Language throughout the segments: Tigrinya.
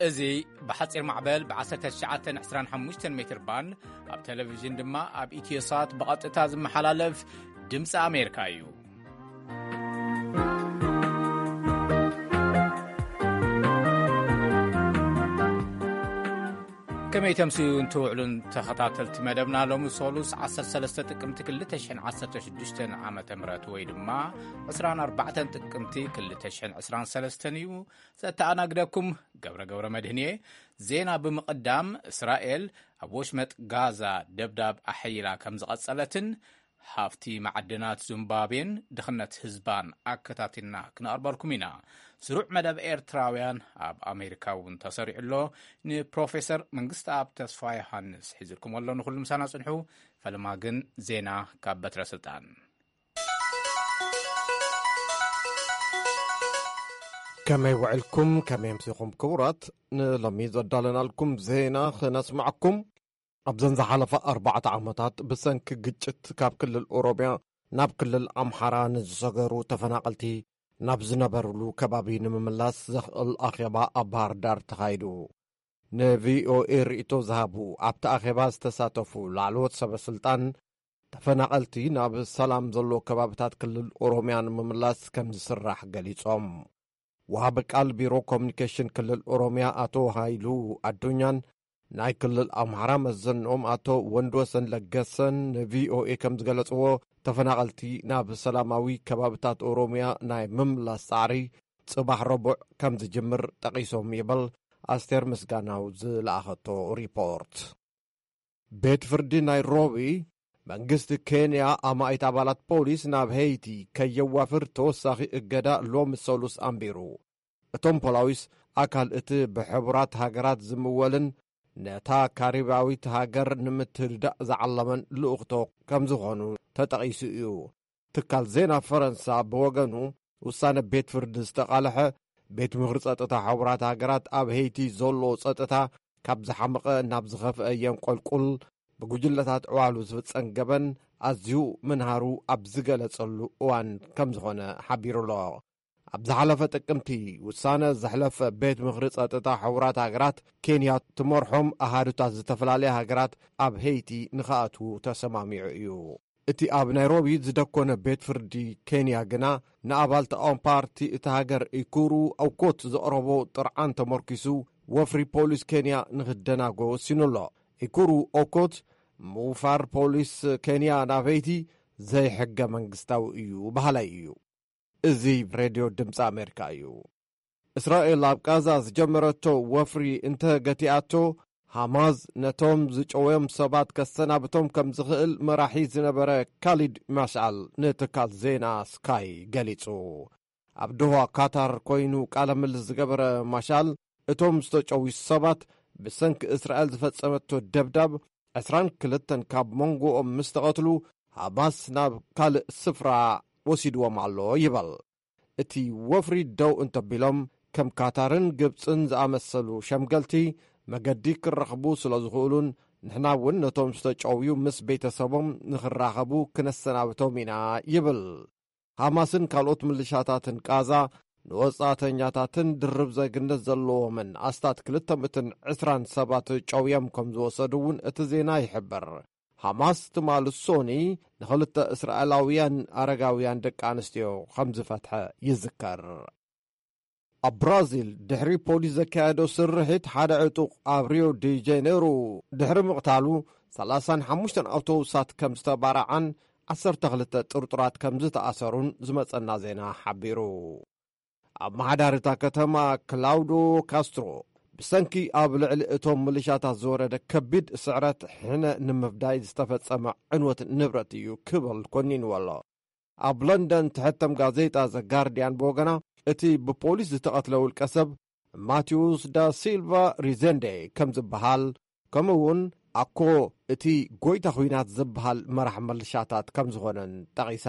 እዚ ብሓጺር ማዕበል ብ1925 ሜትር ባንድ፣ ኣብ ቴሌቪዥን ድማ ኣብ ኢትዮሳት ብቐጥታ ዝመሓላለፍ ድምፂ ኣሜሪካ እዩ። ከመይ ተምስዩ እንትውዕሉን ተኸታተልቲ መደብና፣ ሎሚ ሶሉስ 13 ጥቅምቲ 2016 ዓመተ ምህረት ወይ ድማ 24 ጥቅምቲ 2023 እዩ። ዘተኣናግደኩም ገብረ ገብረ መድህን እየ። ዜና ብምቕዳም፣ እስራኤል ኣብ ወሽመጥ ጋዛ ደብዳብ ኣሐይላ ከም ዝቐጸለትን ሃፍቲ ማዕድናት ዙምባቤን ድኽነት ህዝባን ኣከታቲልና ክነቕርበልኩም ኢና። ስሩዕ መደብ ኤርትራውያን ኣብ ኣሜሪካ እውን ተሰሪዑ ኣሎ። ንፕሮፌሰር መንግስተኣብ ተስፋ ዮሃንስ ሒዝልኩም ኣሎ። ንኹሉ ምሳና ጽንሑ። ፈለማ ግን ዜና ካብ በትረ ስልጣን። ከመይ ውዕልኩም? ከመይ ኣምሲኹም ክቡራት? ንሎሚ ዘዳለናልኩም ዜና ክነስምዓኩም። ኣብዘን ዝሓለፋ ኣርባዕተ ዓመታት ብሰንኪ ግጭት ካብ ክልል ኦሮምያ ናብ ክልል ኣምሓራ ንዝሰገሩ ተፈናቐልቲ ናብ ዝነበሩሉ ከባቢ ንምምላስ ዘኽእል ኣኼባ ኣብ ባህር ዳር ተኻይዱ። ንቪኦኤ ርእይቶ ዝሃቡ ኣብቲ ኣኼባ ዝተሳተፉ ላዕለዎት ሰበ ስልጣን፣ ተፈናቐልቲ ናብ ሰላም ዘሎ ከባብታት ክልል ኦሮምያ ንምምላስ ከም ዝስራሕ ገሊጾም። ወሃቢ ቃል ቢሮ ኮሚኒኬሽን ክልል ኦሮምያ ኣቶ ሃይሉ ኣዱኛን ናይ ክልል ኣምሓራ መዘንኦም ኣቶ ወንድወሰን ለገሰን ንቪኦኤ ከም ዝገለጽዎ፣ ተፈናቐልቲ ናብ ሰላማዊ ከባብታት ኦሮምያ ናይ ምምላስ ጻዕሪ ጽባሕ ረቡዕ ከም ዝጅምር ጠቒሶም ይብል ኣስቴር ምስጋናው ዝለኣኸቶ ሪፖርት። ቤት ፍርዲ ናይሮቢ፣ መንግስቲ ኬንያ ኣማኢት ኣባላት ፖሊስ ናብ ሄይቲ ከየዋፍር ተወሳኺ እገዳ ሎሚ ሰሉስ ኣንቢሩ። እቶም ፖላዊስ ኣካል እቲ ብሕቡራት ሃገራት ዝምወልን ነታ ካሪባዊት ሃገር ንምትህድዳእ ዝዓለመን ልኡኽቶ ከም ዝኾኑ ተጠቒሱ እዩ። ትካል ዜና ፈረንሳ ብወገኑ፣ ውሳነ ቤት ፍርዲ ዝተቓልሐ፣ ቤት ምኽሪ ጸጥታ ሕቡራት ሃገራት ኣብ ሄይቲ ዘሎ ጸጥታ ካብ ዝሓመቐ ናብ ዝኸፍአ የንቆልቁል፣ ብጉጅለታት ዕዋሉ ዝፍጸም ገበን ኣዝዩ ምንሃሩ ኣብ ዝገለጸሉ እዋን ከም ዝኾነ ሓቢሩ ኣሎ። ኣብ ዝሓለፈ ጥቅምቲ ውሳነ ዘሕለፈ ቤት ምኽሪ ጸጥታ ሕቡራት ሃገራት፣ ኬንያ ትመርሖም ኣሃዱታት ዝተፈላለያ ሃገራት ኣብ ሄይቲ ንኽኣትዉ ተሰማሚዑ እዩ። እቲ ኣብ ናይሮቢ ዝደኮነ ቤት ፍርዲ ኬንያ ግና፣ ንኣባል ተቃዋሚ ፓርቲ እታ ሃገር ኢኩሩ ኦኮት ዘቕረቦ ጥርዓን ተመርኪሱ፣ ወፍሪ ፖሊስ ኬንያ ንኽደናጎ ወሲኑ ኣሎ። ኢኩሩ ኦኮት፣ ምውፋር ፖሊስ ኬንያ ናብ ሄይቲ ዘይሕገ መንግስታዊ እዩ በሃላይ እዩ። እዚ ሬድዮ ድምፂ ኣሜሪካ እዩ። እስራኤል ኣብ ቃዛ ዝጀመረቶ ወፍሪ እንተ ገቲኣቶ፣ ሃማስ ነቶም ዝጨወዮም ሰባት ከሰናብቶም ከም ዝኽእል መራሒ ዝነበረ ካሊድ ማሽዓል ንትካል ዜና ስካይ ገሊጹ። ኣብ ዶሃ ካታር ኮይኑ ቃለ ምልልስ ዝገበረ ማሻል፣ እቶም ዝተጨውዩ ሰባት ብሰንኪ እስራኤል ዝፈጸመቶ ደብዳብ ዕስራን ክልተን ካብ መንጎኦም ምስ ተቐትሉ፣ ሃማስ ናብ ካልእ ስፍራ ወሲድዎም ኣሎ ይበል። እቲ ወፍሪ ደው እንተቢሎም፣ ከም ካታርን ግብጽን ዝኣመሰሉ ሸምገልቲ መገዲ ክረኽቡ ስለ ዝኽእሉን ንሕና እውን ነቶም ዝተጨውዩ ምስ ቤተሰቦም ንኽራኸቡ ክነሰናብቶም ኢና ይብል። ሃማስን ካልኦት ምልሻታትን ቃዛ ንወጻእተኛታትን ድርብ ዜግነት ዘለዎምን ኣስታት ክልተ ሚእትን ዕስራን ሰባት ጨውዮም ከም ዝወሰዱ እውን እቲ ዜና ይሕብር። ሃማስ ትማሊ ሶኒ ንኽልተ እስራኤላውያን ኣረጋውያን ደቂ ኣንስትዮ ከም ዝፈትሐ ይዝከር። ኣብ ብራዚል ድሕሪ ፖሊስ ዘካየዶ ስርሒት ሓደ ዕጡቕ ኣብ ሪዮ ዲ ጀኔሮ ድሕሪ ምቕታሉ፣ ሰላሳን ሓሙሽተን ኣውቶቡሳት ከም ዝተባርዓን ዓሰርተ ክልተ ጥርጡራት ከም ዝተኣሰሩን ዝመጸና ዜና ሓቢሩ። ኣመሓዳሪ እታ ከተማ ክላውዶ ካስትሮ፣ ብሰንኪ ኣብ ልዕሊ እቶም ምልሻታት ዝወረደ ከቢድ ስዕረት ሕነ ንምፍዳይ ዝተፈጸመ ዕንወት ንብረት እዩ ክብል ኮኒንዎ ኣሎ። ኣብ ለንደን ትሕተም ጋዜጣ ዘ ጋርዲያን ብወገና፣ እቲ ብፖሊስ ዝተቐትለ ውልቀ ሰብ ማቴዎስ ዳ ሲልቫ ሪዘንዴ ከም ዝበሃል፣ ከምኡ እውን ኣኮ እቲ ጎይታ ኲናት ዝበሃል መራሕ ምልሻታት ከም ዝኾነን ጠቒሳ።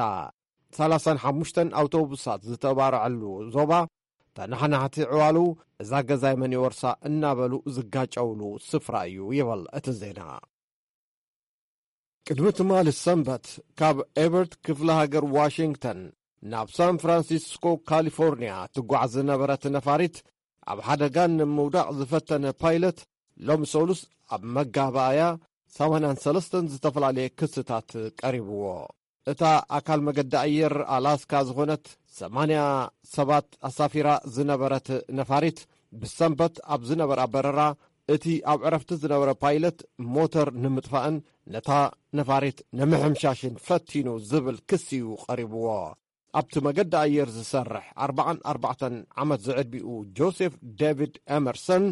ሰላሳን ሓሙሽተን ኣውቶቡሳት ዝተባርዐሉ ዞባ፣ ተናሓናሕቲ ዕዋሉ እዛ ገዛይ መን ይወርሳ እናበሉ ዝጋጨውሉ ስፍራ እዩ ይበል እቲ ዜና። ቅድሚ ትማሊ ሰንበት፣ ካብ ኤበርት ክፍለ ሃገር ዋሽንግተን ናብ ሳን ፍራንሲስኮ ካሊፎርኒያ ትጓዓዝ ዝነበረት ነፋሪት ኣብ ሓደጋ ንምውዳቕ ዝፈተነ ፓይለት ሎም ሰሉስ ኣብ መጋባእያ ሰማንያን ሰለስተን ዝተፈላለየ ክስታት ቀሪብዎ። እታ ኣካል መገዲ ኣየር ኣላስካ ዝኾነት ሰማንያ ሰባት ኣሳፊራ ዝነበረት ነፋሪት፣ ብሰንበት ኣብ ዝነበራ በረራ፣ እቲ ኣብ ዕረፍቲ ዝነበረ ፓይለት ሞተር ንምጥፋእን ነታ ነፋሪት ንምሕምሻሽን ፈቲኑ ዝብል ክሲ እዩ ቀሪብዎ። ኣብቲ መገዲ ኣየር ዝሰርሕ ኣርባዓን ኣርባዕተን ዓመት ዝዕድሚኡ ጆሴፍ ዴቪድ ኤመርሰን፣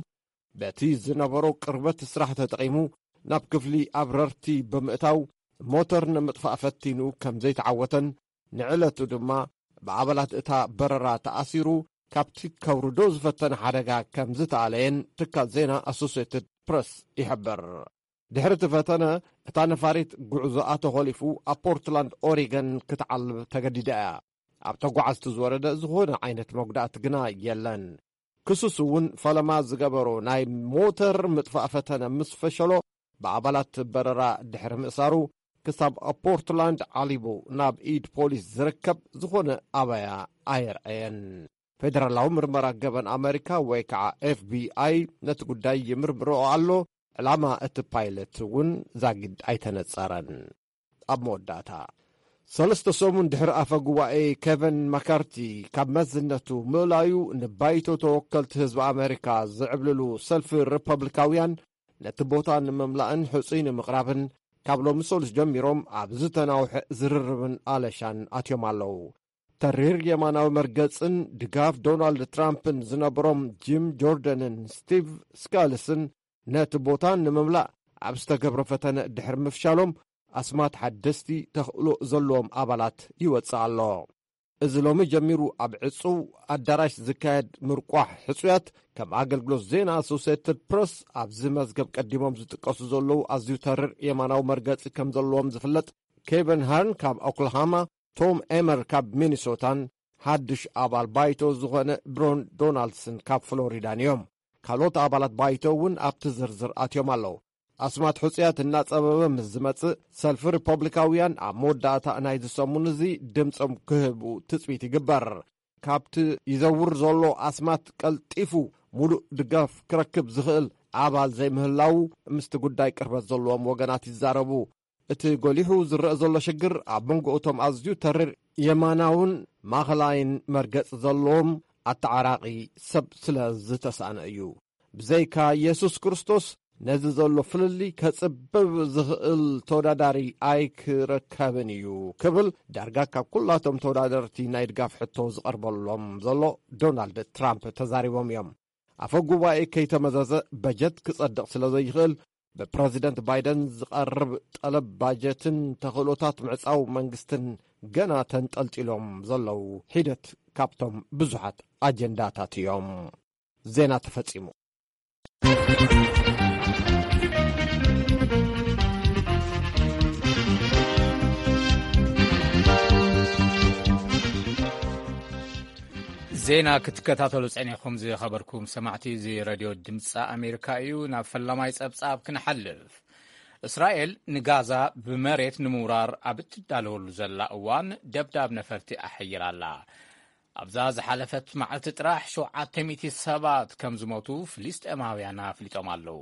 በቲ ዝነበሮ ቅርበት ስራሕ ተጠቒሙ ናብ ክፍሊ ኣብረርቲ ብምእታው፣ ሞተር ንምጥፋእ ፈቲኑ ከም ዘይተዓወተን፣ ንዕለቱ ድማ ብኣባላት እታ በረራ ተኣሲሩ ካብቲ ከውርዶ ዝፈተነ ሓደጋ ከም ዝተኣለየን ትካል ዜና ኣሶሴትድ ፕረስ ይሕብር። ድሕሪ እቲ ፈተነ፣ እታ ነፋሪት ጉዕዞኣ ተኾሊፉ ኣብ ፖርትላንድ ኦሪገን ክትዓልብ ተገዲዳ እያ። ኣብ ተጓዓዝቲ ዝወረደ ዝኾነ ዓይነት መጉዳእቲ ግና የለን። ክሱስ እውን ፈለማ ዝገበሮ ናይ ሞተር ምጥፋእ ፈተነ ምስ ፈሸሎ፣ ብኣባላት በረራ ድሕሪ ምእሳሩ፣ ክሳብ ኣብ ፖርትላንድ ዓሊቡ ናብ ኢድ ፖሊስ ዝርከብ ዝኾነ ኣባያ ኣየርኣየን። ፌደራላዊ ምርመራ ገበን ኣመሪካ ወይ ከዓ ኤፍ ቢ ኣይ ነቲ ጉዳይ ይምርምሮ ኣሎ። ዕላማ እቲ ፓይለት እውን ዛጊድ ኣይተነጸረን። ኣብ መወዳእታ፣ ሰለስተ ሰሙን ድሕሪ ኣፈ ጉባኤ ኬቨን ማካርቲ ካብ መዝነቱ ምእላዩ፣ ንባይቶ ተወከልቲ ህዝቢ ኣመሪካ ዝዕብልሉ ሰልፊ ሪፐብሊካውያን ነቲ ቦታ ንምምላእን ሕጹይ ንምቕራብን ካብ ሎሚ ሰሉስ ጀሚሮም ኣብ ዝተናውሐ ዝርርብን ኣለሻን ኣትዮም ኣለዉ። ተሪር የማናዊ መርገጽን ድጋፍ ዶናልድ ትራምፕን ዝነበሮም ጂም ጆርደንን ስቲቭ ስካልስን ነቲ ቦታ ንምምላእ ኣብ ዝተገብረ ፈተነ ድሕሪ ምፍሻሎም፣ ኣስማት ሓደስቲ ተኽእሎ ዘለዎም ኣባላት ይወጽእ ኣሎ። እዚ ሎሚ ጀሚሩ ኣብ ዕጹው ኣዳራሽ ዝካየድ ምርቋሕ ሕጹያት፣ ከም ኣገልግሎት ዜና ኣሶሴትድ ፕረስ ኣብዚ መዝገብ ቀዲሞም ዝጥቀሱ ዘለዉ ኣዝዩ ተርር የማናዊ መርገጺ ከም ዘለዎም ዝፍለጥ ኬቨን ሃርን ካብ ኦክላሃማ፣ ቶም ኤመር ካብ ሚኒሶታን ሓድሽ ኣባል ባይቶ ዝኾነ ብሮን ዶናልድስን ካብ ፍሎሪዳን እዮም። ካልኦት ኣባላት ባይቶ እውን ኣብቲ ዝርዝር ኣትዮም ኣለዉ። ኣስማት ሕጹያት እናጸበበ ምስ ዝመጽእ፣ ሰልፊ ሪፐብሊካውያን ኣብ መወዳእታ ናይዚ ሰሙን እዚ ድምጾም ክህቡ ትጽቢት ይግበር። ካብቲ ይዘውር ዘሎ ኣስማት ቀልጢፉ ሙሉእ ድጋፍ ክረክብ ዝኽእል ኣባል ዘይምህላዉ ምስቲ ጉዳይ ቅርበት ዘለዎም ወገናት ይዛረቡ። እቲ ጎሊሑ ዝረአ ዘሎ ሽግር ኣብ መንጎ እቶም ኣዝዩ ተሪር የማናውን ማእኸላይን መርገጺ ዘለዎም ኣተዓራቒ ሰብ ስለ ዝተሳእነ እዩ። ብዘይካ የሱስ ክርስቶስ ነዚ ዘሎ ፍልልይ ከጽብብ ዝኽእል ተወዳዳሪ ኣይክረከብን እዩ ክብል ዳርጋ ካብ ኩላቶም ተወዳደርቲ ናይ ድጋፍ ሕቶ ዝቐርበሎም ዘሎ ዶናልድ ትራምፕ ተዛሪቦም እዮም። ኣፈ ጉባኤ ከይተመዘዘ በጀት ክጸድቕ ስለ ዘይኽእል፣ ብፕረዚደንት ባይደን ዝቐርብ ጠለብ ባጀትን ተኽእሎታት ምዕጻው መንግስትን ገና ተንጠልጢሎም ዘለዉ ሒደት ካብቶም ብዙሓት ኣጀንዳታት እዮም። ዜና ተፈጺሙ። ዜና ክትከታተሉ ጸኒሕኩም ዝኸበርኩም ሰማዕቲ፣ እዚ ሬድዮ ድምፂ ኣሜሪካ እዩ። ናብ ፈላማይ ጸብጻብ ክንሓልፍ። እስራኤል ንጋዛ ብመሬት ንምውራር ኣብ እትዳለወሉ ዘላ እዋን፣ ደብዳብ ነፈርቲ ኣሐይላ ኣላ። ኣብዛ ዝሓለፈት መዓልቲ ጥራሕ ሸውዓተ ሚእቲ ሰባት ከም ዝሞቱ ፍልስጤማውያን ኣፍሊጦም ኣለዉ።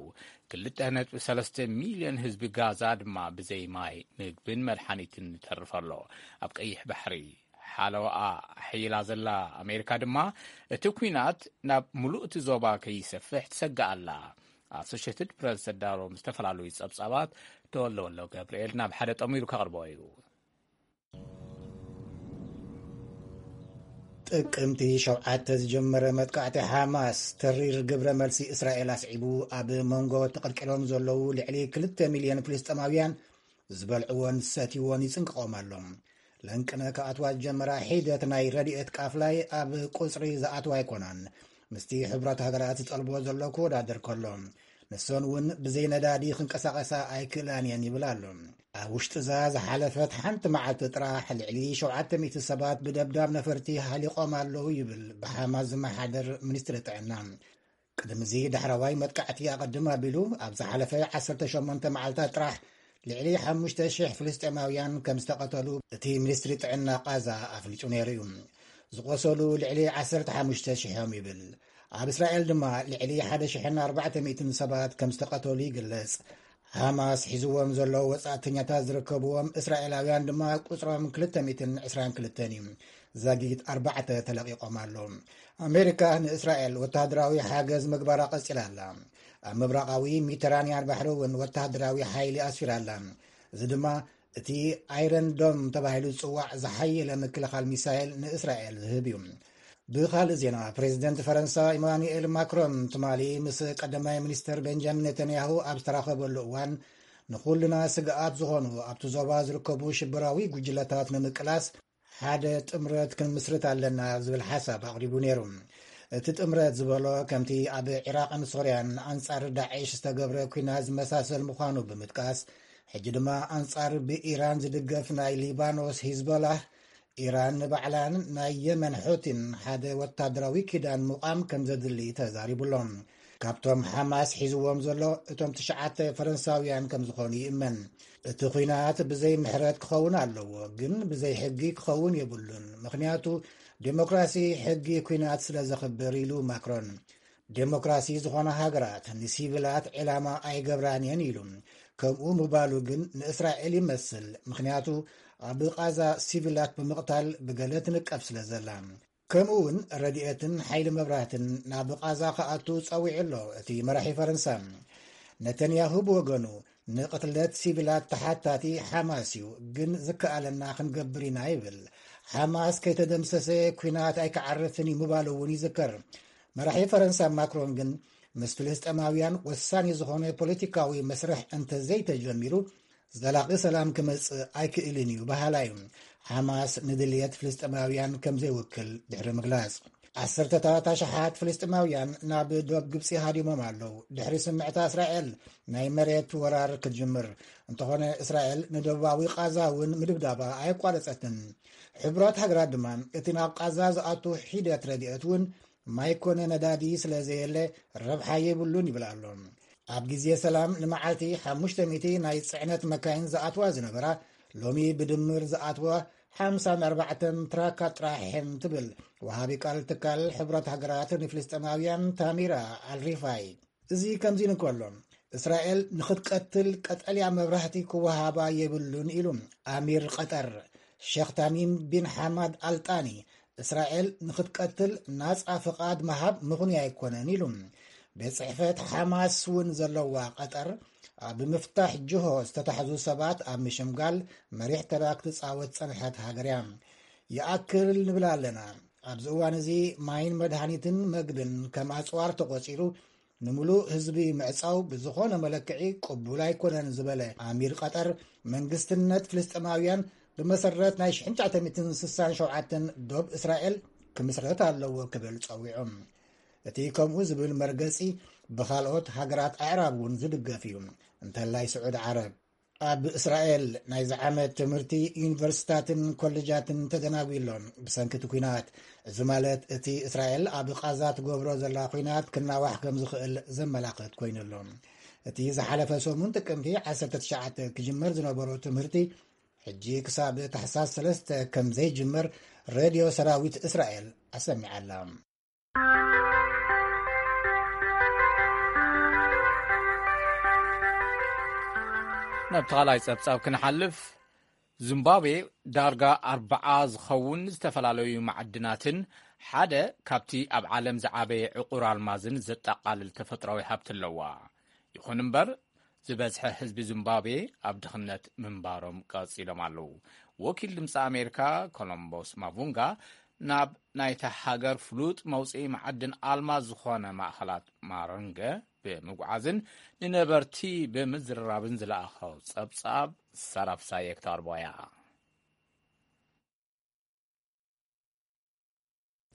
ክልተ ነጥቢ ሰለስተ ሚልዮን ህዝቢ ጋዛ ድማ ብዘይ ማይ፣ ምግብን መድሓኒትን ይተርፍ ኣሎ። ኣብ ቀይሕ ባሕሪ ሓለዋኣ ኣሐይላ ዘላ ኣሜሪካ ድማ፣ እቲ ኲናት ናብ ምሉእ እቲ ዞባ ከይሰፍሕ ትሰግእ ኣላ። ኣሶሼትድ ፕረስ ዘዳለዎም ዝተፈላለዩ ጸብጻባት ተወለወሎ ገብርኤል ናብ ሓደ ጠሚሩ ከቕርቦ እዩ። ጥቅምቲ ሸውዓተ ዝጀመረ መጥቃዕቲ ሓማስ፣ ተሪር ግብረ መልሲ እስራኤል ኣስዒቡ፣ ኣብ መንጎ ተቐልቂሎም ዘለዉ ልዕሊ ክልተ ሚልዮን ፍልስጤማውያን ዝበልዕዎን ዝሰትይዎን ይጽንቅቖም ኣሎ። ለንቅነ ክኣትዋ ዝጀመራ ሒደት ናይ ረድኤት ቃፍላይ ኣብ ቁጽሪ ዝኣትዋ ኣይኮናን። ምስቲ ሕብራት ሃገራት ዝጠልብዎ ዘሎ ክወዳደር ከሎ፣ ንሰን እውን ብዘይ ነዳዲ ክንቀሳቐሳ ኣይክእላን እየን ይብል ኣሎ። ኣብ ውሽጢ እዛ ዝሓለፈት ሓንቲ መዓልቲ ጥራሕ ልዕሊ ሸውዓተ ሚእቲ ሰባት ብደብዳብ ነፈርቲ ሃሊቖም ኣለዉ ይብል ብሓማስ ዝመሓደር ሚኒስትሪ ጥዕና። ቅድሚ እዚ ዳሕረዋይ መጥቃዕቲ ኣቐድም ኣቢሉ፣ ኣብ ዝሓለፈ ዓሰርተ ሸሞንተ መዓልታት ጥራሕ ልዕሊ ሓሙሽተ ሽሕ ፍልስጤማውያን ከም ዝተቐተሉ እቲ ሚኒስትሪ ጥዕና ቃዛ ኣፍሊጡ ነይሩ እዩ። ዝቖሰሉ ልዕሊ ዓሰርተ ሓሙሽተ ሽሕ እዮም ይብል። ኣብ እስራኤል ድማ ልዕሊ ሓደ ሽሕን ኣርባዕተ ሚእትን ሰባት ከም ዝተቐተሉ ይግለጽ። ሃማስ ሒዝዎም ዘለዉ ወጻእተኛታት ዝርከብዎም እስራኤላውያን ድማ ቁጽሮም ክልተ ሚእትን ዕስራን ክልተን እዩ። ዛጊት ኣርባዕተ ተለቒቖም ኣለዉ። ኣሜሪካ ንእስራኤል ወተሃደራዊ ሓገዝ ምግባራ ቀጺላ ኣላ። ኣብ ምብራቓዊ ሜዲተራንያን ባሕሪ እውን ወተሃደራዊ ሓይሊ ኣስፊራ ኣላ። እዚ ድማ እቲ ኣይረን ዶም ተባሂሉ ዝጽዋዕ ዝሓየለ ምክልኻል ሚሳይል ንእስራኤል ዝህብ እዩ። ብኻልእ ዜና፣ ፕሬዚደንት ፈረንሳ ኢማኑኤል ማክሮን ትማሊ ምስ ቀዳማይ ሚኒስትር ቤንጃሚን ኔታንያሁ ኣብ ዝተራኸበሉ እዋን፣ ንኹልና ስግኣት ዝኾኑ ኣብቲ ዞባ ዝርከቡ ሽበራዊ ጉጅለታት ንምቅላስ ሓደ ጥምረት ክንምስርት ኣለና ዝብል ሓሳብ ኣቕሪቡ ነይሩ። እቲ ጥምረት ዝበሎ ከምቲ ኣብ ዒራቕን ሶርያን ኣንጻር ዳዕሽ ዝተገብረ ኲናት ዝመሳሰል ምዃኑ ብምጥቃስ፣ ሕጂ ድማ ኣንጻር ብኢራን ዝድገፍ ናይ ሊባኖስ ሂዝቦላህ፣ ኢራን ንባዕላን ናይ የመን ሑቲን ሓደ ወታደራዊ ኪዳን ምቋም ከም ዘድሊ ተዛሪቡ ኣሎ። ካብቶም ሓማስ ሒዝዎም ዘሎ እቶም ትሽዓተ ፈረንሳውያን ከም ዝኾኑ ይእመን። እቲ ኲናት ብዘይ ምሕረት ክኸውን ኣለዎ፣ ግን ብዘይ ሕጊ ክኸውን የብሉን፣ ምኽንያቱ ዴሞክራሲ ሕጊ ኲናት ስለ ዘኽብር፣ ኢሉ ማክሮን። ዴሞክራሲ ዝኾና ሃገራት ንሲቪላት ዕላማ ኣይገብራን እየን፣ ኢሉ። ከምኡ ምባሉ ግን ንእስራኤል ይመስል፣ ምኽንያቱ ኣብ ቓዛ ሲቪላት ብምቕታል ብገለ ትንቀፍ ስለ ዘላ። ከምኡ እውን ረድኤትን ሓይሊ መብራህትን ናብ ቓዛ ክኣቱ ጸዊዑ ኣሎ እቲ መራሒ ፈረንሳ። ነተንያሁ ብወገኑ፣ ንቕትለት ሲቪላት ተሓታቲ ሓማስ እዩ፣ ግን ዝከኣለና ክንገብር ኢና ይብል። ሓማስ ከይተደምሰሰ ኲናት ኣይክዓርፍን እዩ ምባሉ እውን ይዝከር። መራሒ ፈረንሳ ማክሮን ግን፣ ምስ ፍልስጤማውያን ወሳኒ ዝኾነ ፖለቲካዊ መስርሕ እንተዘይተጀሚሩ፣ ዘላቒ ሰላም ክመጽእ ኣይክእልን እዩ በሃላይ እዩ። ሓማስ ንድልየት ፍልስጤማውያን ከም ዘይውክል ድሕሪ ምግላጽ፣ ዓሰርተታት ኣሽሓት ፍልስጤማውያን ናብ ዶብ ግብጺ ሃዲሞም ኣለዉ። ድሕሪ ስምዕታ እስራኤል ናይ መሬት ወራር ክትጅምር እንተኾነ፣ እስራኤል ንደቡባዊ ቓዛ እውን ምድብዳባ ኣየቋረጸትን። ሕቡራት ሃገራት ድማ፣ እቲ ናብ ቓዛ ዝኣቱ ሒደት ረድኤት እውን ማይ ኮነ ነዳዲ ስለ ዘየለ፣ ረብሓ የብሉን ይብል ኣሎ። ኣብ ግዜ ሰላም ንመዓልቲ ሓሙሽተ ሚእቲ ናይ ጽዕነት መካይን ዝኣትዋ ዝነበራ፣ ሎሚ ብድምር ዝኣትዋ ሓምሳን ኣርባዕተን ትራካት ጥራሕ እየን ትብል ወሃቢ ቃል ትካል ሕቡራት ሃገራት ንፍልስጤማውያን ታሚራ ኣልሪፋይ። እዚ ከምዚ እንከሎ፣ እስራኤል ንኽትቀትል ቀጠልያ መብራህቲ ክወሃባ የብሉን ኢሉ ኣሚር ቀጠር ሸኽ ታሚም ቢን ሓማድ ኣልጣኒ፣ እስራኤል ንኽትቀትል ናጻ ፍቓድ ምሃብ ምኽኑይ ኣይኮነን ኢሉ። ቤት ጽሕፈት ሓማስ እውን ዘለዋ ቀጠር፣ ኣብ ምፍታሕ ጅሆ ዝተታሕዙ ሰባት ኣብ ምሽምጋል መሪሕ ተራ ክትጻወት ጸንሐት ሃገር እያ። ይኣክል ንብል ኣለና። ኣብዚ እዋን እዚ ማይን መድሃኒትን መግብን ከም ኣጽዋር ተቖጺሩ፣ ንምሉእ ህዝቢ ምዕጻው ብዝኾነ መለክዒ ቅቡል ኣይኮነን ዝበለ ኣሚር ቀጠር፣ መንግስትነት ፍልስጤማውያን ብመሰረት ናይ ሽሕን ትሽዓተ ሚእትን ስሳን ሸውዓተን ዶብ እስራኤል ክምስረት ኣለዎ ክብል ጸዊዑ። እቲ ከምኡ ዝብል መርገጺ ብኻልኦት ሃገራት ኣዕራብ እውን ዝድገፍ እዩ፣ እንተላይ ስዑድ ዓረብ። ኣብ እስራኤል ናይዚ ዓመት ትምህርቲ ዩኒቨርሲታትን ኮሌጃትን ተደናጒ ኣሎ ብሰንኪ እቲ ኲናት። እዚ ማለት፣ እቲ እስራኤል ኣብ ቓዛ ትገብሮ ዘላ ኲናት ክናዋሕ ከም ዝኽእል ዘመላኽት ኮይኑ ኣሎ። እቲ ዝሓለፈ ሰሙን ጥቅምቲ ዓሰርተ ትሽዓተ ክጅመር ዝነበሮ ትምህርቲ፣ ሕጂ ክሳብ ታሕሳስ ሰለስተ ከም ዘይጅመር ሬድዮ ሰራዊት እስራኤል ኣሰሚዓ ኣላ። ናብ ተኻላይ ጸብጻብ ክንሓልፍ፣ ዚምባብዌ ዳርጋ ኣርብዓ ዝኸውን ዝተፈላለዩ መዓድናትን ሓደ ካብቲ ኣብ ዓለም ዝዓበየ ዕቑር ኣልማዝን ዘጠቓልል ተፈጥሮኣዊ ሃብቲ ኣለዋ። ይኹን እምበር፣ ዝበዝሐ ህዝቢ ዚምባብዌ ኣብ ድኽነት ምንባሮም ቀጺሎም ኣለዉ። ወኪል ድምፂ ኣሜሪካ ኮሎምቦስ ማቡንጋ ናብ ናይታ ሃገር ፍሉጥ መውፅኢ መዓድን ኣልማዝ ዝኾነ ማእኸላት ማረንገ ብምጉዓዝን ንነበርቲ ብምዝርራብን ዝለኣኸው ጸብጻብ ሰራፍሳይ የክታርቦያ።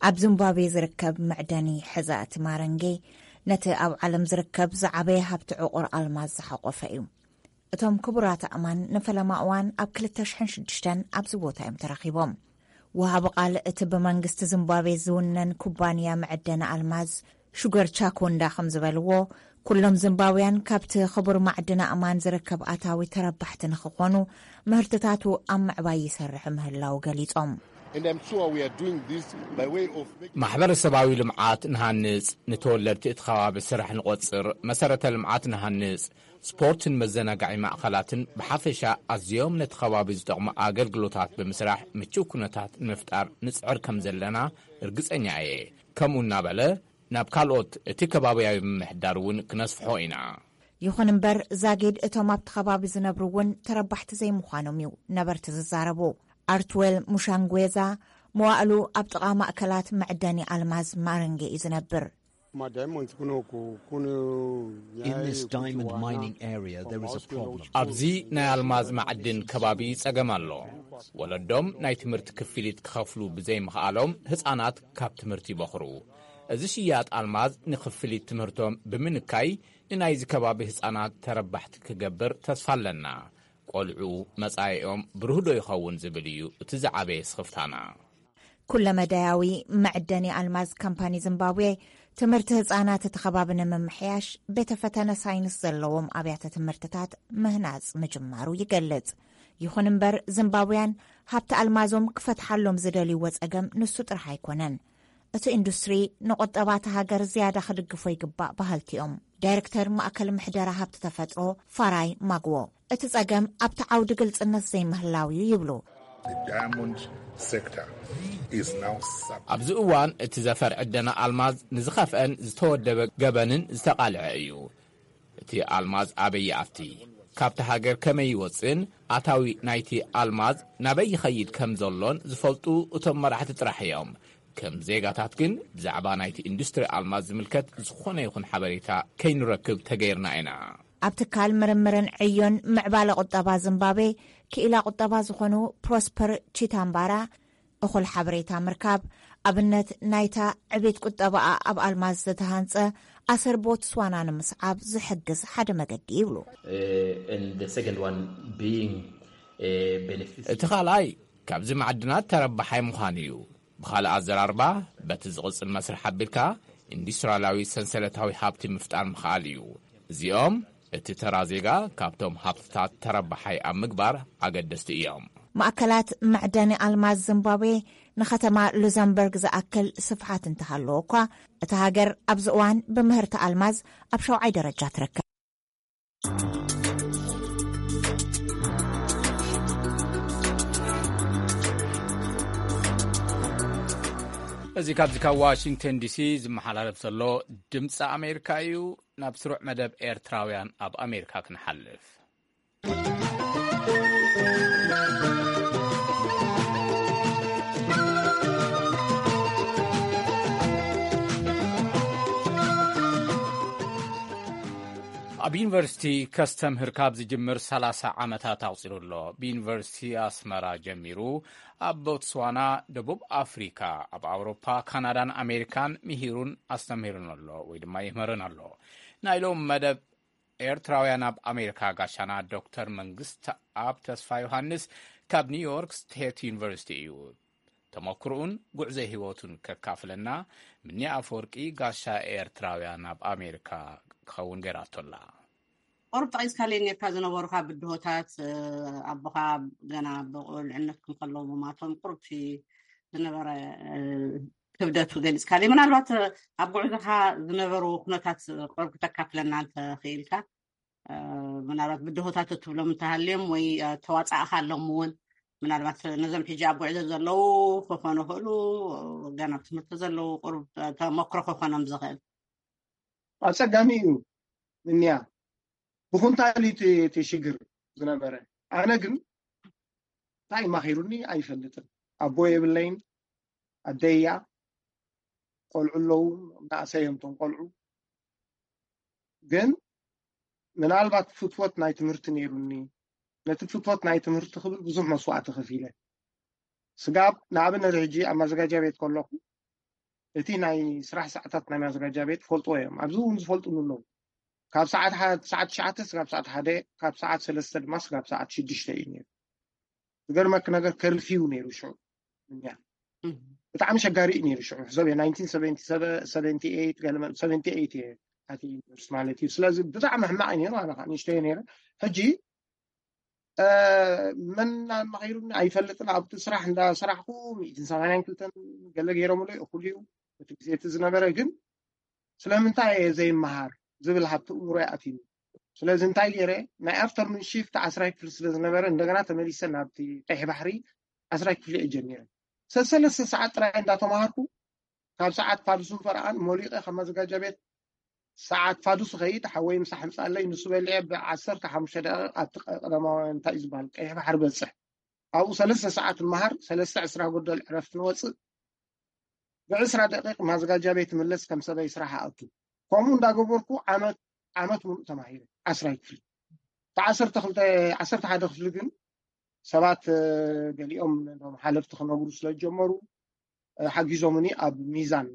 ኣብ ዚምባብዌ ዝርከብ መዕደኒ ሕዛእቲ ማረንጌ፣ ነቲ ኣብ ዓለም ዝርከብ ዝዓበየ ሃብቲ ዕቑር ኣልማዝ ዝሓቖፈ እዩ። እቶም ክቡራት ኣእማን ንፈለማ እዋን ኣብ ክልተ ሽሕን ሽዱሽተን ኣብዚ ቦታ እዮም ተረኺቦም። ወሃቢ ቃል እቲ ብመንግስቲ ዚምባብዌ ዝውነን ኩባንያ መዕደኒ ኣልማዝ ሹገር ቻኮንዳ ከም ዝበልዎ፣ ኩሎም ዚምባብውያን ካብቲ ክቡር ማዕድን ኣእማን ዝርከብ ኣታዊ ተረባሕቲ ንኽኾኑ፣ ምህርትታቱ ኣብ ምዕባይ ይሰርሕ ምህላው ገሊጾም። And I'm sure we are doing this by way of making ማሕበረሰባዊ ልምዓት ንሃንጽ፣ ንተወለድቲ እቲ ከባቢ ስራሕ ንቆጽር፣ መሰረተ ልምዓት ንሃንጽ፣ ስፖርትን መዘናጋዒ ማእኸላትን ብሓፈሻ ኣዝዮም ነቲ ከባቢ ዝጠቕሙ ኣገልግሎታት ብምስራሕ ምቹው ኩነታት ንምፍጣር ንጽዕር ከም ዘለና ርግጸኛ እየ። ከምኡ እናበለ ናብ ካልኦት እቲ ከባብያዊ ምምሕዳር እውን ክነስፍሖ ኢና። ይኹን እምበር ዛጊድ እቶም ኣብቲ ከባቢ ዝነብሩ እውን ተረባሕቲ ዘይምዃኖም እዩ ነበርቲ ዝዛረቡ። ኣርትዌል ሙሻንጉዌዛ መዋእሉ ኣብ ጥቓ ማእከላት መዕደኒ ኣልማዝ ማረንጌ እዩ ዝነብር። In this diamond mining area, there is a problem. ኣብዚ ናይ ኣልማዝ ማዕድን ከባቢ ጸገም ኣሎ። ወለዶም ናይ ትምህርቲ ክፍሊት ክኸፍሉ ብዘይምኽኣሎም ህጻናት ካብ ትምህርቲ ይበኽሩ። እዚ ሽያጥ ኣልማዝ ንክፍሊት ትምህርቶም ብምንካይ ንናይዚ ከባቢ ህጻናት ተረባሕቲ ክገብር ተስፋ ኣለና። ቆልዑ መጻኢኦም ብሩህ ዶ ይኸውን ዝብል እዩ እቲ ዝዓበየ ስኽፍታና። ኩለመዳያዊ መዕደኒ ኣልማዝ ካምፓኒ ዚምባብዌ ትምህርቲ ህጻናት እቲ ከባቢ ንምምሕያሽ ቤተ ፈተነ ሳይንስ ዘለዎም ኣብያተ ትምህርትታት ምህናጽ ምጅማሩ ይገልጽ። ይኹን እምበር ዚምባብውያን ሃብቲ ኣልማዞም ክፈትሓሎም ዝደልይዎ ጸገም ንሱ ጥራሕ ኣይኮነን። እቲ ኢንዱስትሪ ንቁጠባ እታ ሃገር ዝያዳ ክድግፎ ይግባእ በሃልቲ እዮም። ዳይረክተር ማእከል ምሕደራ ሃብቲ ተፈጥሮ ፋራይ ማግዎ እቲ ጸገም ኣብቲ ዓውዲ ግልጽነት ዘይምህላው እዩ ይብሉ። The diamond sector is now sub- ኣብዚ እዋን እቲ ዘፈር ዕደና ኣልማዝ ንዝኸፍአን ዝተወደበ ገበንን ዝተቓልዐ እዩ። እቲ ኣልማዝ ኣበይ ይኣቲ? ካብቲ ሃገር ከመይ ይወጽእን ኣታዊ ናይቲ ኣልማዝ ናበይ ይኸይድ ከም ዘሎን ዝፈልጡ እቶም መራሕቲ ጥራሕ እዮም። ከም ዜጋታት ግን ብዛዕባ ናይቲ ኢንዱስትሪ ኣልማዝ ዝምልከት ዝኾነ ይኹን ሓበሬታ ከይንረክብ ተገይርና ኢና። ኣብ ትካል ምርምርን ዕዮን ምዕባለ ቁጠባ ዚምባብዌ ክኢላ ቁጠባ ዝኾኑ ፕሮስፐር ቺታምባራ እኹል ሓበሬታ ምርካብ ኣብነት ናይታ ዕቤት ቁጠባኣ ኣብ ኣልማዝ ዝተሃንጸ ኣሰር ቦትስዋና ንምስዓብ ዝሕግዝ ሓደ መገዲ ይብሉ። And the second one being a benefit. እቲ ካልኣይ ካብዚ ማዕድናት ተረባሓይ ምዃን እዩ። ብኻልእ ኣዘራርባ በቲ ዝቕጽል መስርሕ ኣቢልካ ኢንዱስትሪያላዊ ሰንሰለታዊ ሃብቲ ምፍጣር ምኽኣል እዩ። እዚኦም እቲ ተራ ዜጋ ካብቶም ሃብትታት ተረባሓይ ኣብ ምግባር ኣገደስቲ እዮም። ማእከላት መዕደኒ ኣልማዝ ዚምባብዌ ንኸተማ ሉዘምበርግ ዝኣክል ስፍሓት እንተሃለዎ እኳ እታ ሃገር ኣብዚ እዋን ብምህርቲ ኣልማዝ ኣብ ሸውዓይ ደረጃ ትርከብ። እዚ ካብዚ ካብ ዋሽንግተን ዲሲ ዝመሓላለፍ ዘሎ ድምፂ ኣሜሪካ እዩ። ናብ ስሩዕ መደብ ኤርትራውያን ኣብ ኣሜሪካ ክንሓልፍ። ኣብ ዩኒቨርሲቲ ከስተምህር ካብ ዝጅምር ሰላሳ ዓመታት ኣቑጺሩ ኣሎ። ብዩኒቨርሲቲ ኣስመራ ጀሚሩ ኣብ ቦትስዋና፣ ደቡብ ኣፍሪካ፣ ኣብ ኣውሮፓ፣ ካናዳን ኣሜሪካን ምሂሩን ኣስተምህሩን ኣሎ ወይ ድማ ይምህርን ኣሎ። ናይ ሎም መደብ ኤርትራውያን ኣብ ኣሜሪካ ጋሻና ዶክተር መንግስት ኣብ ተስፋ ዮሃንስ ካብ ኒውዮርክ ስቴት ዩኒቨርሲቲ እዩ። ተመክርኡን ጉዕዞ ህይወቱን ከካፍለና ምኒ ኣፈወርቂ ጋሻ ኤርትራውያን ኣብ ኣሜሪካ ክኸውን ገይራቶላ። ቁሩብ ጠቒስካለይ ኔርካ ዝነበሩኻ ብድሆታት፣ ኣቦኻ ገና ብቁልዕነትኩም ከለዉ ብማቶም ቁሩብ እቲ ዝነበረ ክብደቱ ገሊጽካለይ። ምናልባት ኣብ ጉዕዞኻ ዝነበሩ ኩነታት ቁሩብ ክተካፍለና እንተኽኢልካ፣ ምናልባት ብድሆታት እትብሎም እንተሃልዮም ወይ ተዋጻእኻሎም እውን ምናልባት ነዞም ሕጂ ኣብ ጉዕዞ ዘለዉ ክኾኑ ይኽእሉ፣ ገና ኣብ ትምህርቲ ዘለዉ ቁሩብ ተመክሮ ክኾኖም ዝኽእል። ኣጸጋሚ እዩ። ምንያ ብኹንታል እዩ እቲ ሽግር ዝነበረ። ኣነ ግን እንታይ ማኺሩኒ ኣይፈልጥን። ኣቦ የብለይን፣ ኣደይ እያ፣ ቆልዑ ኣለዉ፣ ናእሰይ እዮም እቶም ቆልዑ። ግን ምናልባት ፍትወት ናይ ትምህርቲ ነይሩኒ፣ ነቲ ፍትወት ናይ ትምህርቲ ክብል ብዙሕ መስዋእቲ ከፊለ። ስጋብ ንኣብነት ሕጂ ኣብ ማዘጋጃ ቤት ከለኹ እቲ ናይ ስራሕ ሰዓታት ናይ ማዘጋጃ ቤት ፈልጥዎ እዮም። ኣብዚ እውን ዝፈልጡኒ ኣለዉ። ካብ ሰዓት ሓደ ሰዓት ትሽዓተ ስጋብ ሰዓት ሓደ፣ ካብ ሰዓት ሰለስተ ድማ ስጋብ ሰዓት ሽዱሽተ እዩ ነይሩ። ዝገርመኪ ነገር ከርፊው ነይሩ ሽዑ። እኛ ብጣዕሚ ሸጋሪ እዩ ነይሩ ሽዑ። ሕሰብ የ ናይንቲን ሰቨንቲ ሰቨን፣ ሰቨንቲ ኤይት፣ ገለ መ- ሰቨንቲ ኤይት እየ ኣትየ ዩኒቨርሲቲ ማለት እዩ። ስለዚ ብጣዕሚ ሕማቕ እዩ ነይሩ። ኣነ ከዓ ንእሽተይ ነይረ። ሕጂ መን እናመኸይሩኒ ኣይፈልጥን። ኣብቲ ስራሕ እንዳሰራሕኩ ሚእትን ሰማንያን ክልተን ገለ ገይሮምለይ፣ እኹል እዩ እቲ ግዜ እቲ ዝነበረ። ግን ስለምንታይ እየ ዘይመሃር ዝብል ሃብቲ እምሮ ይኣትዩኒ። ስለዚ እንታይ ገይረ፣ ናይ ኣፍተርኑን ሽፍት ዓስራይ ክፍሊ ስለ ዝነበረ፣ እንደገና ተመሊሰ ናብቲ ቀይሕ ባሕሪ ዓስራይ ክፍሊ እየ ጀሚረ። ሰሰለስተ ሰዓት ጥራይ እንዳተማሃርኩ፣ ካብ ሰዓት ፋዱስን ፈረቓን ሞሊቐ ካብ ማዘጋጃ ቤት ሰዓት ፋዱስ ኸይድ፣ ሓወይ ምሳሕ ምጻለይ፣ ንሱ በሊዐ ብዓሰርተ ሓሙሽተ ደቂቕ ኣብቲ ቀደማዊ እንታይ እዩ ዝበሃል ቀይሕ ባሕሪ በጽሕ። ኣብኡ ሰለስተ ሰዓት ንመሃር፣ ሰለስተ ዕስራ ጎደል ዕረፍቲ ንወጽእ፣ ብዕስራ ደቂቕ ማዘጋጃ ቤት ምለስ፣ ከም ሰበይ ስራሕ ኣእቱ። ከምኡ እንዳገበርኩ ዓመት ዓመት ሙሉእ ተማሂረ። ዓስራይ ክፍሊ። ዓሰርተ ክልተ፣ ዓሰርተ ሓደ ክፍሊ ግን ሰባት ገሊኦም ም ሓለፍቲ ክነግሩ ስለ ዝጀመሩ ሓጊዞምኒ ኣብ ሚዛን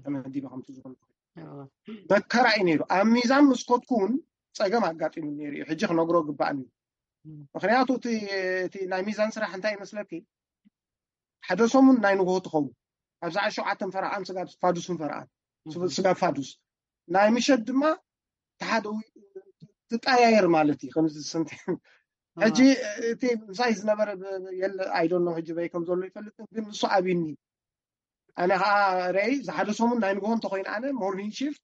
ተመዲበ ከምቲ ዝኾኑ መከራ እዩ ነይሩ። ኣብ ሚዛን ምስ ኮትኩ እውን ጸገም ኣጋጢሙ ነይሩ እዩ። ሕጂ ክነግሮ ግባእኒ። ምክንያቱ እቲ ናይ ሚዛን ስራሕ እንታይ ይመስለኪ? ሓደ ሰሙን ናይ ንግሆ ትኸውን፣ ኣብዛ ሸውዓተን ፈረቓን ስጋብ ፋዱስን ፈረቓን፣ ስጋብ ፋዱስ። ናይ ምሸት ድማ ተሓደ ትቀያየር ማለት እዩ። ከምዚ ሰንተ ሕጂ እቲ ምሳይ ዝነበረ የለ፣ ኣይዶኖ ሕጂ በይ ከም ዘሎ ይፈልጥ፣ ግን ንሱ ኣብኒ። ኣነ ከዓ ረይ ዝሓደ ሰሙን ናይ ንግሆ እንተኮይነ ኣነ ሞርኒንግ ሽፍት፣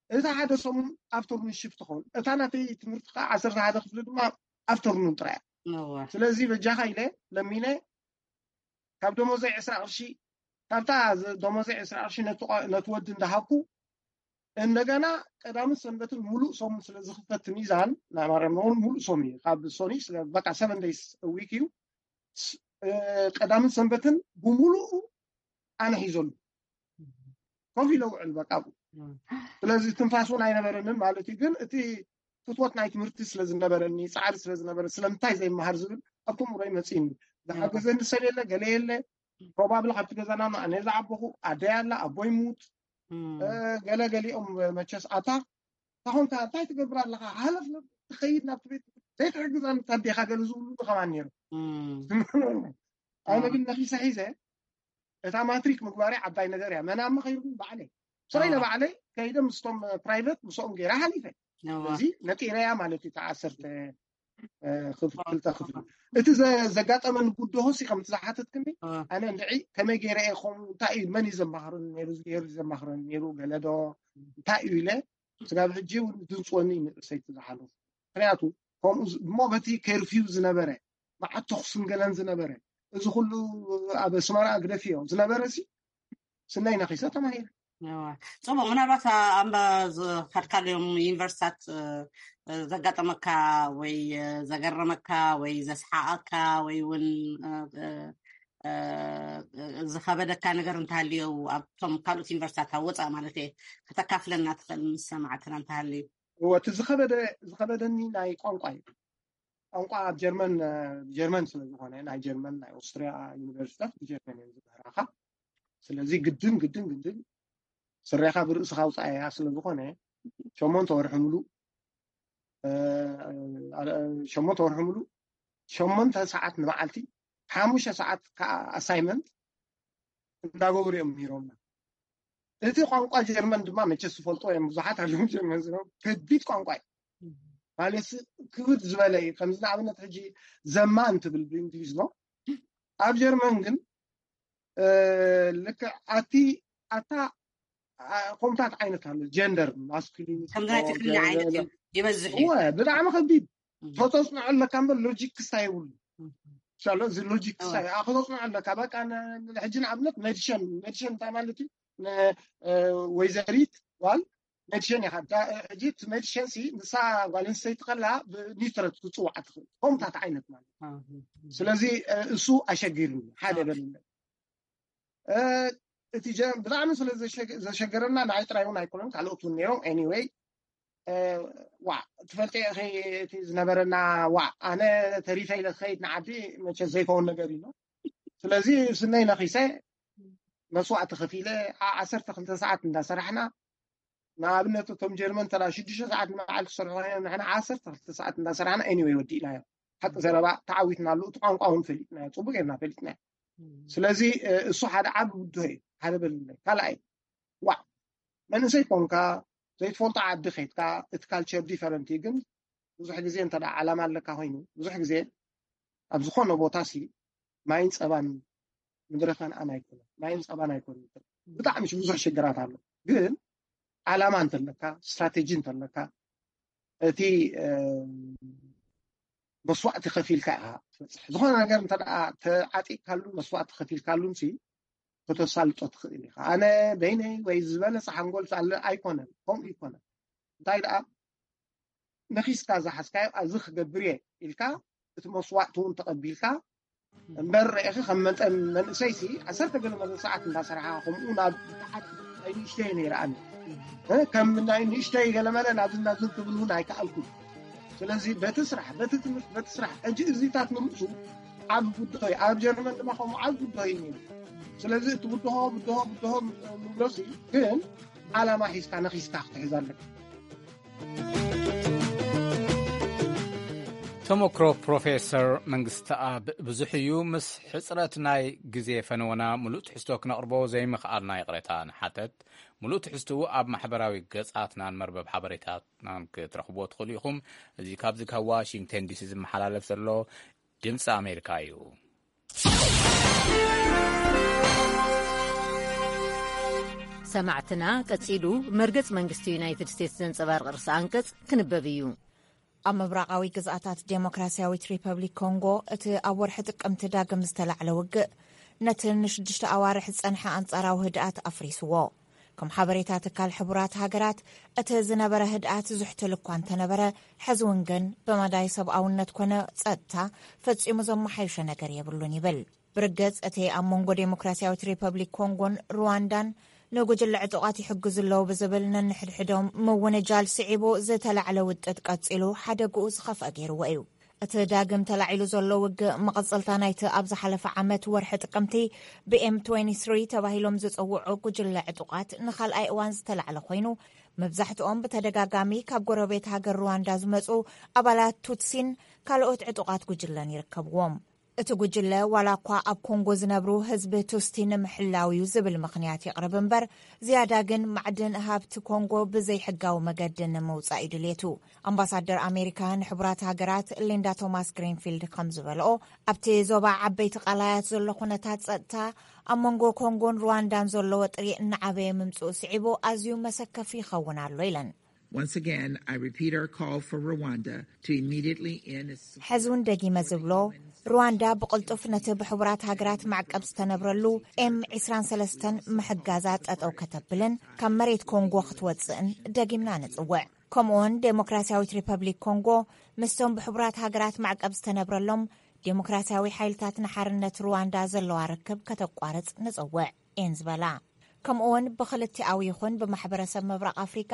እታ ሓደ ሰሙን ኣፍተርኑን ሽፍት ትኸውን። እታ ናተይ ትምህርቲ ከዓ ዓሰርተ ሓደ ክፍሊ ድማ ኣፍተርኑን ጥራይ። ስለዚ በጃኻ ኢለ ለሚነ ካብ ደሞዘይ ዕስራ ቅርሺ፣ ካብታ ደሞዘይ ዕስራ ቅርሺ ነቲ ወዲ እንዳሃብኩ፣ እንደገና ቀዳምን ሰንበትን ሙሉእ ሰሙን ስለ ዝኽፈት ሚዛን ናይ ማርያም ነውን ሙሉእ ሰሙን እዩ። ካብ ሶኒ በቃ ሰቨን ደይስ ዊክ እዩ። ቀዳምን ሰንበትን ብሙሉኡ ኣነ ሒዘሉ ኮፍ ኢለ ውዕል በቃ። ስለዚ ትንፋስ እውን ኣይነበረንን ማለት እዩ። ግን እቲ ፍትወት ናይ ትምህርቲ ስለ ዝነበረኒ፣ ፃዕሪ ስለ ዝነበረ፣ ስለምንታይ ዘይመሃር ዝብል ኣብቶም ውረይ መፅእኒ። ዝሓገዘኒ ሰብ የለ፣ ገለ የለ። ፕሮባብሊ ካብቲ ገዛና ኣነ ዝዓበኹ ኣደይ ኣላ፣ ኣቦይ ሙት፣ ገለ ገሊኦም መቸስ ኣታ ታኾንካ እንታይ ትገብር ኣለኻ? ሃለፍ ትኸይድ ናብቲ ቤት ዘይትሕግዛን ታዴኻ ገለ ዝብሉ ከማን ነይሩ። ኣነ ግን ነኺሰ ሒዘ እታ ማትሪክ ምግባረይ ዓባይ ነገር እያ። መን ኣብ መኸይሩ ባዕለይ ስረይ ንባዕለይ ከይደ ምስቶም ፕራይቨት ምስኦም ገይራ ሓሊፈ። እዚ ነጢረያ ማለት እዩ። ተዓሰርተ ክልተ ክፍሊ እቲ ዘጋጠመኒ ጉድሆ ሲ ከምቲ ዝሓተትክኒ ኣነ እንድዒ ከመይ ገይረ እየ ከምኡ እንታይ እዩ መን እዩ ዘማኽረኒ ነይሩ ዝገይሩ ዘማኽረኒ ነይሩ ገለዶ እንታይ እዩ ኢለ ስጋብ ሕጂ እውን ድንፅወኒ እዩ ንርእሰይቲ ዝሓለፉ። ምክንያቱ ከምኡ እሞ በቲ ከርፊው ዝነበረ መዓት ተኩስን ገለን ዝነበረ እዚ ኩሉ ኣብ ኣስመራ ግደፍዮ ዝነበረ ሲ ስነይ ነኺሰ ተማሂረ። ጽቡቅ። ምናልባት ኣብ ዝኸድካሎም ዩኒቨርሲታት ዘጋጠመካ ወይ ዘገረመካ ወይ ዘስሓቀካ ወይ እውን ዝኸበደካ ነገር እንተሃልዮ ኣብቶም ካልኦት ዩኒቨርሲታት ኣብ ወፃእ ማለት እየ ከተካፍለና ትኽእል ምስ ሰማዕትና እንተሃልዩ? እወ፣ እቲ ዝኸበደ ዝኸበደኒ ናይ ቋንቋ እዩ። ቋንቋ ኣብ ጀርመን ጀርመን ስለ ዝኾነ ናይ ጀርመን ናይ ኦስትሪያ ዩኒቨርሲታት ብጀርመን እዮም ዝምህራኻ። ስለዚ ግድን ግድን ግድን ስረኻ ብርእስኻ ውፃእያ ስለ ዝኾነ ሸሞንተ ወርሒ ሙሉእ ሸሞንተ ወርሒ ሙሉእ ሸሞንተ ሰዓት ንመዓልቲ ሓሙሽተ ሰዓት ከዓ ኣሳይመንት እንዳገበሩ እዮም ምህሮምና። እቲ ቋንቋ ጀርመን ድማ መቸስ ዝፈልጦ እዮም ብዙሓት ኣለዉ ጀርመን ዝነብሩ። ከቢድ ቋንቋ እዩ ማለት ክብድ ዝበለ እዩ። ከምዚ ንኣብነት ሕጂ ዘማ እንትብል ብእንግሊዝ ነው። ኣብ ጀርመን ግን ልክዕ ኣቲ ኣታ ከምታት ዓይነት ኣሎ ጀንደር ማስኩሊን ከምዚ ናይ ትግርኛ ዓይነት እዩ ይበዝሕ እዩ። እወ ብጣዕሚ ከቢድ ተተፅንዖ ኣለካ እምበር ሎጂክ ክስታይ የብሉ። ሻሎ እዚ ሎጂክ ክስታይ ከተፅንዖ ኣለካ። በቃ ሕጂ ንኣብነት ሜዲሽን ሜዲሽን እንታይ ማለት እዩ? ወይዘሪት ጓል ሜዲሽን ኢኻ። ሕጂ እቲ ሜዲሽን ሲ ንሳ ጓል ኣንስተይቲ ከላ ብኒትረት ክትፅዋዓ ትኽእል ከምታት ዓይነት ማለት። ስለዚ እሱ ኣሸጊርኒ ሓደ በልለ እቲ ብጣዕሚ ስለ ዘሸገረና ንዓይ ጥራይ እውን ኣይኮነን ካልኦት እውን ነይሮም። ኤኒወይ ዋ ትፈልጢ ኢኺ እቲ ዝነበረና ዋ ኣነ ተሪፈ ኢለ ክኸይድ ንዓዲ መቸ ዘይከውን ነገር እዩ። ስለዚ ስነይ ነኺሰ መስዋእቲ ከፊለ ዓሰርተ ክልተ ሰዓት እንዳሰራሕና ንኣብነት እቶም ጀርመን ተራ ሽዱሽተ ሰዓት ንመዓልቲ ክሰርሑ ኮይኖም ንሕና ዓሰርተ ክልተ ሰዓት እንዳሰራሕና ኤኒወይ ወዲእናዮ። ሓቂ ዘረባ ተዓዊትና ኣለዉ እቲ ቋንቋ እውን ፈሊጥናዮ ፅቡቅ ጌርና ፈሊጥናዮ። ስለዚ እሱ ሓደ ዓቢ ብድሆ እዩ። ሓደ በልለ ካልኣይ ዋዕ መንእሰይ ኮንካ ዘይትፈልጦ ዓዲ ከይድካ እቲ ካልቸር ዲፈረንት እዩ ግን ብዙሕ ግዜ እንተ ደኣ ዓላማ ኣለካ ኮይኑ፣ ብዙሕ ግዜ ኣብ ዝኾነ ቦታ ሲ ማይን ጸባን ምድረ ከነኣን ኣይኮነን፣ ማይን ጸባን ኣይኮነን። ብጣዕሚ ብዙሕ ሽግራት ኣሎ። ግን ዓላማ እንተለካ፣ ስትራቴጂ እንተለካ፣ እቲ መስዋዕቲ ከፊልካ ኢኻ ትበፅሕ። ዝኾነ ነገር እንተ ደኣ ተዓጢቕካሉ፣ መስዋዕቲ ከፊልካሉን ሲ ከተሳልጦ ትኽእል ኢኻ። ኣነ በይነይ ወይ ዝበለፀ ሓንጎል ኣለ ኣይኮነን፣ ከምኡ ይኮነን። እንታይ ደኣ ነኺስካ ዝሓዝካዮ ኣብዚ ክገብር እየ ኢልካ እቲ መስዋዕቲ እውን ተቐቢልካ እምበር ርኢኺ ከም መጠን መንእሰይሲ ዓሰርተ ገለ መለ ሰዓት እንዳሰራሓ ከምኡ ናብ ብተሓት ኣይንእሽተይ ነይረኣኒ ከም ናይ ንእሽተይ ገለመለ ናብዚ ናብዚ ክብል እውን ኣይከኣልኩን። ስለዚ በቲ ስራሕ በቲ ትምህርቲ በቲ ስራሕ ሕጂ እዚታት ንምሱ ዓብ ብድሆ እዩ። ኣብ ጀርመን ድማ ከምኡ ዓብ ብድሆ እዩ ነይሩ። ስለዚ እቲ ብድሆ ብድሆ ብድሆ ንብሎሲ ግን ዓላማ ሒዝካ ነኺስካ ክትሕዝ ኣለካ። ተመክሮ ፕሮፌሰር መንግስተኣብ ብዙሕ እዩ። ምስ ሕፅረት ናይ ግዜ ፈነወና ምሉእ ትሕዝቶ ክነቕርቦ ዘይምኽኣልና ይቕሬታ ንሓተት። ምሉእ ትሕዝትኡ ኣብ ማሕበራዊ ገጻትናን መርበብ ሓበሬታትናን ክትረኽብዎ ትኽእሉ ኢኹም። እዚ ካብዚ ካብ ዋሽንግተን ዲሲ ዝመሓላለፍ ዘሎ ድምፂ ኣሜሪካ እዩ። ሰማዕትና፣ ቀጺሉ መርገጽ መንግስቲ ዩናይትድ ስቴትስ ዘንጸባርቕ ርእሰ ኣንቀጽ ክንበብ እዩ። ኣብ ምብራቓዊ ግዝኣታት ዴሞክራሲያዊት ሪፐብሊክ ኮንጎ እቲ ኣብ ወርሒ ጥቅምቲ ዳግም ዝተላዕለ ውግእ ነቲ ንሽዱሽተ ኣዋርሕ ዝጸንሐ ኣንጻራዊ ህድኣት ኣፍሪስዎ። ከም ሓበሬታ ትካል ሕቡራት ሃገራት፣ እቲ ዝነበረ ህድኣት ዝሕትል እኳ እንተነበረ፣ ሕዚ እውን ግን ብመዳይ ሰብኣውነት ኮነ ጸጥታ ፈጺሙ ዘመሓየሾ ነገር የብሉን ይብል። ብርግጽ፣ እቲ ኣብ መንጎ ዴሞክራሲያዊት ሪፐብሊክ ኮንጎን ሩዋንዳን ንጉጅለ ዕጡቓት ይሕግዙ ኣለዉ ብዝብል ነንሕድሕዶም ምውንጃል ስዒቡ ዝተላዕለ ውጥጥ ቀጺሉ ሓደግኡ ዝኸፍአ ገይርዎ እዩ። እቲ ዳግም ተላዒሉ ዘሎ ውግእ መቐጸልታ ናይቲ ኣብ ዝሓለፈ ዓመት ወርሒ ጥቅምቲ ብኤም ትወንቲ ስሪ ተባሂሎም ዝጽውዑ ጉጅለ ዕጡቓት ንኻልኣይ እዋን ዝተላዕለ ኮይኑ፣ መብዛሕትኦም ብተደጋጋሚ ካብ ጎረቤት ሃገር ሩዋንዳ ዝመጹ ኣባላት ቱትሲን ካልኦት ዕጡቓት ጉጅለን ይርከብዎም። እቲ ጉጅለ ዋላ እኳ ኣብ ኮንጎ ዝነብሩ ህዝቢ ቱስቲ ንምሕላው እዩ ዝብል ምኽንያት የቕርብ እምበር፣ ዝያዳ ግን ማዕድን ሃብቲ ኮንጎ ብዘይሕጋዊ መገዲ ንምውጻእ እዩ ድሌቱ። ኣምባሳደር ኣሜሪካ ንሕቡራት ሃገራት ሊንዳ ቶማስ ግሪንፊልድ ከም ዝበልኦ፣ ኣብቲ ዞባ ዓበይቲ ቃላያት ዘሎ ኩነታት ጸጥታ ኣብ መንጎ ኮንጎን ሩዋንዳን ዘሎ ወጥሪ እናዓበየ ምምጽኡ ስዒቡ ኣዝዩ መሰከፊ ይኸውን ኣሎ ኢለን። Once again, I repeat our call for Rwanda to immediately end its ሕዚ እውን ደጊመ ዝብሎ፣ ሩዋንዳ ብቕልጡፍ ነቲ ብሕቡራት ሃገራት ማዕቀብ ዝተነብረሉ ኤም ዕስራን ሰለስተን ምሕጋዛ ጠጠው ከተብልን ካብ መሬት ኮንጎ ክትወፅእን ደጊምና ንፅውዕ። ከምኡውን ዴሞክራሲያዊት ሪፐብሊክ ኮንጎ ምስቶም ብሕቡራት ሃገራት ማዕቀብ ዝተነብረሎም ዴሞክራሲያዊ ሓይልታት ንሓርነት ሩዋንዳ ዘለዋ ርክብ ከተቋርጽ ንጽውዕ፣ እየን ዝበላ። ከምኡውን ብክልቲኣዊ ይኹን ብማሕበረሰብ ምብራቕ ኣፍሪካ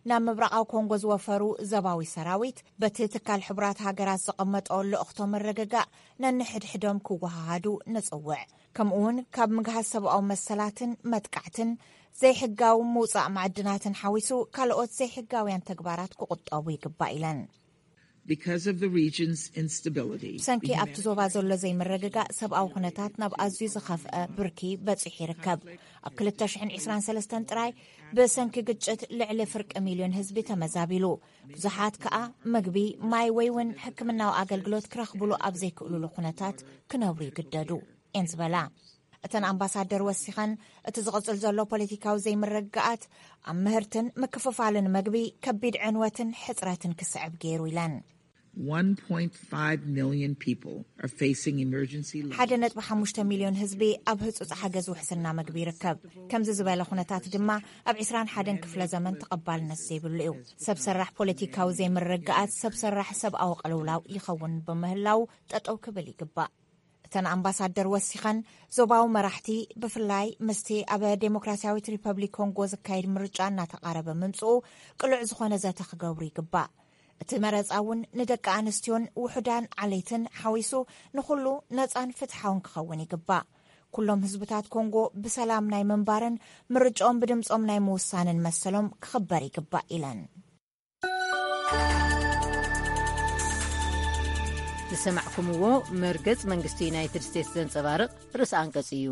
ናብ ምብራቓዊ ኮንጎ ዝወፈሩ ዘባዊ ሰራዊት በቲ ትካል ሕቡራት ሃገራት ዘቐመጦ ልእኽቶ ምርግጋእ ነንሕድሕዶም ክወሃሃዱ ንጽውዕ። ከምኡውን ካብ ምግሃስ ሰብኣዊ መሰላትን መጥቃዕትን ዘይሕጋዊ ምውጻእ ማዕድናትን ሓዊሱ ካልኦት ዘይሕጋውያን ተግባራት ክቑጠቡ ይግባእ ኢለን። Because of the region's instability, ብሰንኪ ኣብቲ ዞባ ዘሎ ዘይምርግጋእ ሰብኣዊ ኩነታት ናብ ኣዝዩ ዝኸፍአ ብርኪ በጺሑ ይርከብ። ኣብ ክልተ ሽሕን ዕስራን ሰለስተን ጥራይ ብሰንኪ ግጭት ልዕሊ ፍርቂ ሚልዮን ህዝቢ ተመዛቢሉ። ብዙሓት ከኣ ምግቢ፣ ማይ ወይ እውን ሕክምናዊ ኣገልግሎት ክረኽብሉ ኣብ ዘይክእሉሉ ኩነታት ክነብሩ ይግደዱ፣ እየን ዝበላ። እተን ኣምባሳደር ወሲኸን፣ እቲ ዝቕጽል ዘሎ ፖለቲካዊ ዘይምርግጋኣት ኣብ ምህርትን ምክፍፋልን መግቢ ከቢድ ዕንወትን ሕጽረትን ክስዕብ ገይሩ ኢለን። One point five million people are facing emergency levels. ሓደ ነጥቢ ሓሙሽተ ሚልዮን ህዝቢ ኣብ ህጹጽ ሓገዝ ውሕስና መግቢ ይርከብ። ከምዚ ዝበለ ኩነታት ድማ ኣብ ዕስራን ሓደን ክፍለ ዘመን ተቐባልነት ዘይብሉ እዩ። ሰብ ሰራሕ ፖለቲካዊ ዘይምርግጋኣት ሰብ ሰራሕ ሰብኣዊ ቅልውላው ይኸውን ብምህላው ጠጠው ክብል ይግባእ። እተን ኣምባሳደር ወሲኸን፣ ዞባዊ መራሕቲ ብፍላይ ምስቲ ኣብ ዴሞክራሲያዊት ሪፐብሊክ ኮንጎ ዝካየድ ምርጫ እናተቓረበ ምምጽኡ ቅሉዕ ዝኾነ ዘተ ክገብሩ ይግባእ። እቲ መረጻ እውን ንደቂ ኣንስትዮን ውሑዳን ዓሌትን ሓዊሱ ንኹሉ ነጻን ፍትሓውን ክኸውን ይግባእ። ኩሎም ህዝብታት ኮንጎ ብሰላም ናይ ምንባርን ምርጫኦም ብድምጾም ናይ ምውሳንን መሰሎም ክኽበር ይግባእ ኢለን። ዝሰማዕኩምዎ መርገጽ መንግስቲ ዩናይትድ ስቴትስ ዘንጸባርቕ ርእሲ ኣንቀጽ እዩ።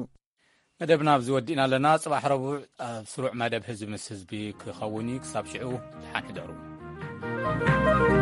መደብና ኣብዚ ወዲእና ኣለና። ጽባሕ ረቡዕ ኣብ ስሩዕ መደብ ህዝቢ ምስ ህዝቢ ክኸውን እዩ። ክሳብ ሽዑ ደሓን ሕደሩ።